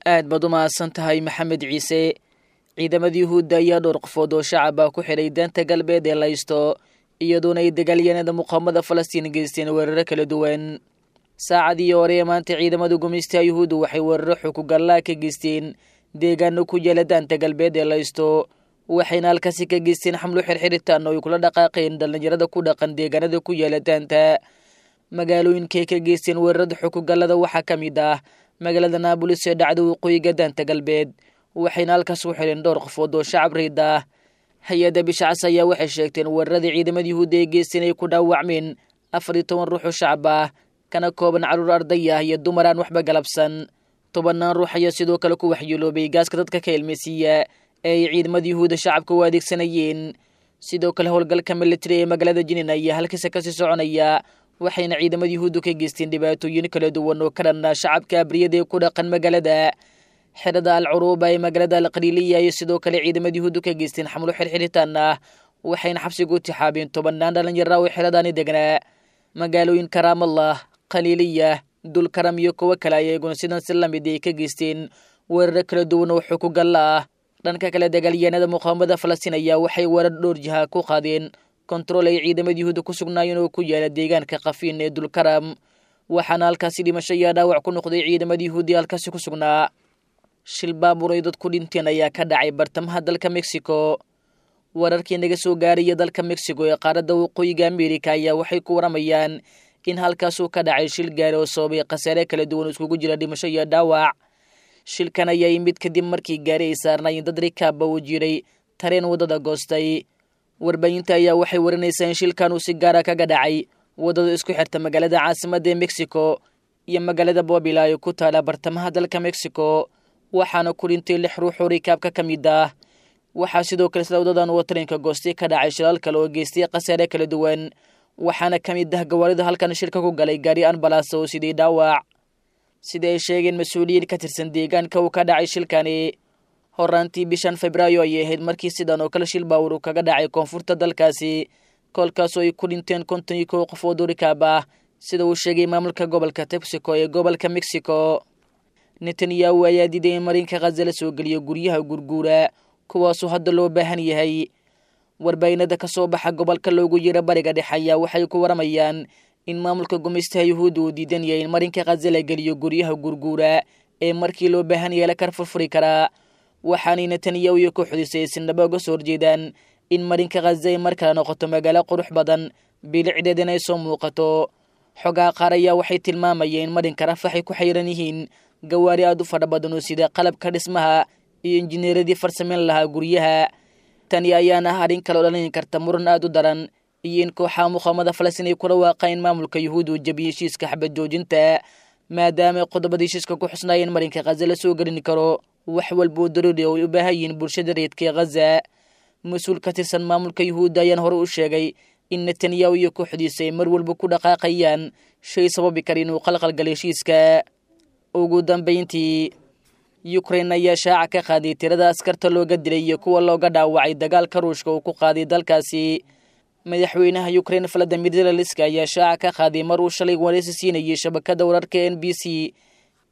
Aad baad u mahadsan tahay, Maxamed Ciise. Ciidamada Yuhuudda ayaa dhowr qofood oo shacaba ku xidhay daanta Galbeed ee laysto, iyadoona ay dagaalyahanada muqaamada Falastiin geysteen weeraro kala duwan. Saacadii hore ee maanta, ciidamada gumaystaha Yuhuuddu waxay weeraro xukugallaa ka geysteen deegaano ku yaala daanta Galbeed ee laysto, waxayna halkaasi ka geysteen xamlo xirxiritaan oo ay kula dhaqaaqeen dhallinyarada ku dhaqan deegaanada ku yaala daanta. Magaalooyinkay ka geysteen weerarada xukugallada waxaa ka mid ah magaalada Naabolis ee dhacda waqooyiga daanta Galbeed, waxayna halkaas u xidheen dhowr qofood oo shacab riid ah. Hay-adda Bisha Cas ayaa waxay sheegteen weeraradii ciidamada Yuhuudda ee geysteen ay ku dhaawacmeen 14 ruux oo shacab ah, kana kooban carruur arday ah iyo dumar aan waxba galabsan. Tobannaan ruux ayaa sidoo kale ku waxyeeloobay gaaska dadka ka ilmeysiiya ee ay ciidamada Yuhuudda shacabka u adeegsanayeen. Sidoo kale, howlgalka militari ee magaalada Jinin ayaa halkiisa kasii soconaya, waxayna ciidamada Yuhuuddu ka geysteen dhibaatooyin kala duwan oo ka dhanna shacabka abriyada ee ku dhaqan magaalada. Xerada Al Curuuba ee magaalada Alqaliiliya iyo sidoo kale ciidamada Yuhuuddu ka geysteen xamlo xirxiritaan ah, waxayna xabsigu tixaabeen tobannaan dhalinyara oo xeradaani degnaa. Magaalooyinka Raamallah, Khaliiliya, Dulkaram iyo kuwo kale ayaguna sidan si lamid ay ka geysteen weeraro kala duwan oo xukugalla ah. Dhanka kale, dagaalyahanada muqaawamada Falastiin ayaa waxay weerar dhowr jiha ku qaadeen kontarool ay ciidamada Yuhuudda ku sugnaayeen oo ku yaala deegaanka Kafiin ee Dulkaram, waxaana halkaasi dhimasho iyo dhaawac ku noqday ciidamada Yuhuuddi halkaasi ku sugnaa. Shil baabuur ay dad ku dhinteen ayaa ka dhacay bartamaha dalka Mexico. Wararkii naga soo gaaraya dalka Mexico ee qaaradda waqooyiga Amerika ayaa waxay ku waramayaan in halkaasuu ka dhacay shil gaari oo sababay khasaare kala duwan iskugu jira dhimasho iyo dhaawac. Shilkan ayaa yimid kadib markii gaari ay saarnaayeen dad rikaabba uu jiray tareen waddada goostay. Warbaahinta ayaa waxay warinaysaa in shilkan uu si gaara kaga dhacay waddada isku xirta magaalada caasimadda ee Mexico iyo magaalada Bobila ee ku taala bartamaha dalka Mexico, waxaana ku dhintay lix ruux oo rikaabka ka mid ah. Waxaa sidoo kale isla wadadan oo tareenka goostay ka dhacay shilaal kale oo geystay khasaare kala duwan, waxaana ka mid ah gawaarida halkan shirka ku galay gaari anbalaasa oo sidii dhaawac, sida ay sheegeen mas-uuliyiin ka tirsan deegaanka uu ka dhacay shilkani. Horaantii bishan Febraayo ayay ahayd markii sidan oo kale shil baawur uu kaga dhacay koonfurta dalkaasi, koolkaasoo ay ku dhinteen 51 qofood oo rikaab ah, sida uu sheegay maamulka gobolka Texico ee gobolka Mexico. Netanyahu ayaa diiday in marinka Khaza la soo geliyo guryaha gurguura, kuwaasoo hadda loo baahan yahay. Warbaahinada ka soo baxa gobolka loogu yeero Bariga Dhexe ayaa waxay ku waramayaan in maamulka gumaystaha Yuhuudda uu diidan yahay in marinka Khaza la geliyo guryaha gurguura ee markii loo baahan yahay la kar furfuri karaa, waxaanay Netanyahu iyo kooxdiisa ay sinaba uga soo horjeedaan in marinka Khaza ay mar kale noqoto magaalo qurux badan, bilicdeedana ay soo muuqato. Xogaha qaar ayaa waxay tilmaamayeen in marinka Rafax ay ku xayran yihiin gawaari aad u fadha badan oo sida qalabka dhismaha iyo injineeradii farsameyn lahaa guryaha. Tani ayaana ah arrin kale oo dhalin karta muran aad u daran iyo in kooxaha muqaamada Falastiin ay kula waaqaan in maamulka Yuhuudda uu jabiyey heshiiska xabad joojinta, maadaama qodobada heshiiska ku xusnaayeen marinka Khaza la soo gelin karo wax walba oo daruuri oo ay u baahan yihiin bulshada reedka ee Khaza. Mas-uul ka tirsan maamulka Yuhuudda ayaan hore u sheegay in Netanyahu iyo kooxdiisa ay mar walba ku dhaqaaqayaan shay sababi kara inuu qalqalgalo heshiiska. Ugu dambayntii, Ukraine ayaa shaaca ka qaaday tirada askarta looga dilay iyo kuwa looga dhaawacay dagaalka Ruushka uu ku qaaday dalkaasi. Madaxweynaha Ukraine Valadimir Zelenski ayaa shaaca ka qaaday mar uu shalay wareysi siinayay shabakada wararka NBC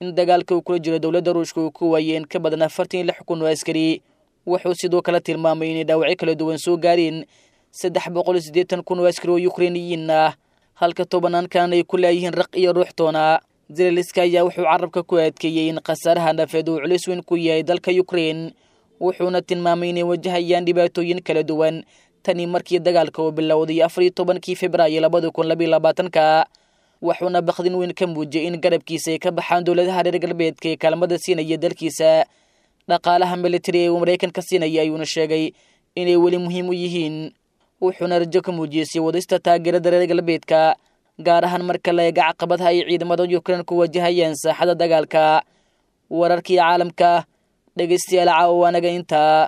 in dagaalka uu kula jiro dowladda Ruushka uu ku waayay in ka badan 46,000 oo askari. Wuxuu sidoo kale tilmaamay inay dhaawacyo kala duwan soo gaareen 380,000 oo askari oo Ukrainiyiin ah, halka tobanaankan ay ku laayihiin raq iyo ruux toona. Zelenski ayaa wuxuu carabka ku adkeeyey in khasaaraha nafeed uu culis weyn ku yahay dalka Ukraine, wuxuuna tilmaamay inay wajahayaan dhibaatooyin kala duwan tani markii dagaalka uu bilowday 14-kii Febraayo 2022-ka, wuxuuna bakdin weyn ka muujiyey in garabkiisa ay ka baxaan dowladaha reer galbeedka ee kaalmada siinaya dalkiisa. Dhaqaalaha militari ee uu Maraykanka siinaya ayuuna sheegay inay weli muhiim u yihiin, wuxuuna rajo ka muujiyey sii wadista taageerada reer galbeedka, gaar ahaan marka la eega caqabadaha ay ciidamada Ukraine ku wajahayaan saaxada dagaalka. Wararkii caalamka, dhegeystayaal, caawa waanaga intaa.